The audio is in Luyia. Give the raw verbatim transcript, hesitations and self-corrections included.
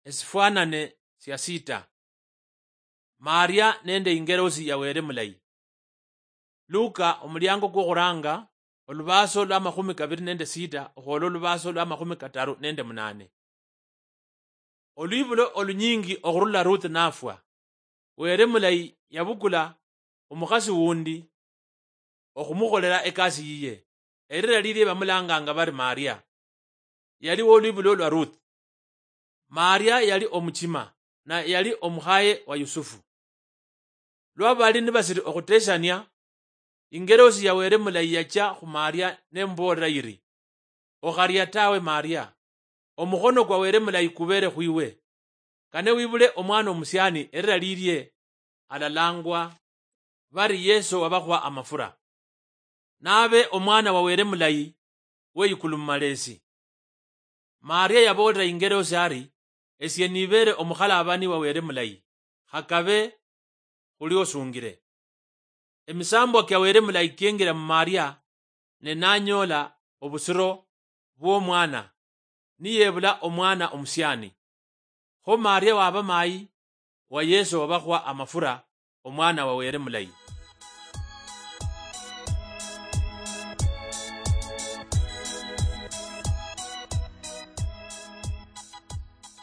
Esifwanane sia sita. Maria nende ingerosi ya Wele Mulayi. Luka, omuliango kwokhuranga, olubaaso lwa makhumi kabili nende sita okhwola olubaaso lwa makhumi kataru nende munane. Olwibulo olunyingi okhurula Ruth nafwa, Wele Mulayi yabukula omukhasi wundi okhumukholela ekasi yiye. Elira lilie bamulanganga bari Maria. Yali wolwibulo lwa Ruth. Maria yali omuchima, na yali omukhaye wa Yusufu. Lwa bali nibasiri okhuteshania, ingerosi ya Wele Mulayi yachia khu Maria nemuboolera yiri, "Okharia tawe Maria, omukhono kwa Wele Mulayi kubere khwiwe. Kane wibule omwana omusiani elira lilie alalangwa bari Yesu wabakhwa amafura. Nabe omwana wa Wele Mulayi weyikulu mumalesi." Maria yaboolera ingerosi ari, "Esie nibere omukhalabani wa Wele Mulayi, khakabe khuli osungire." Emisambwa kia Wele Mulayi kiengira mu Maria, ne nanyoola obusiro bwomwana, niyebula omwana omusiani. Kho Maria waba mayi wa Yesu wabakhwa amafura, omwana wa Wele Mulayi.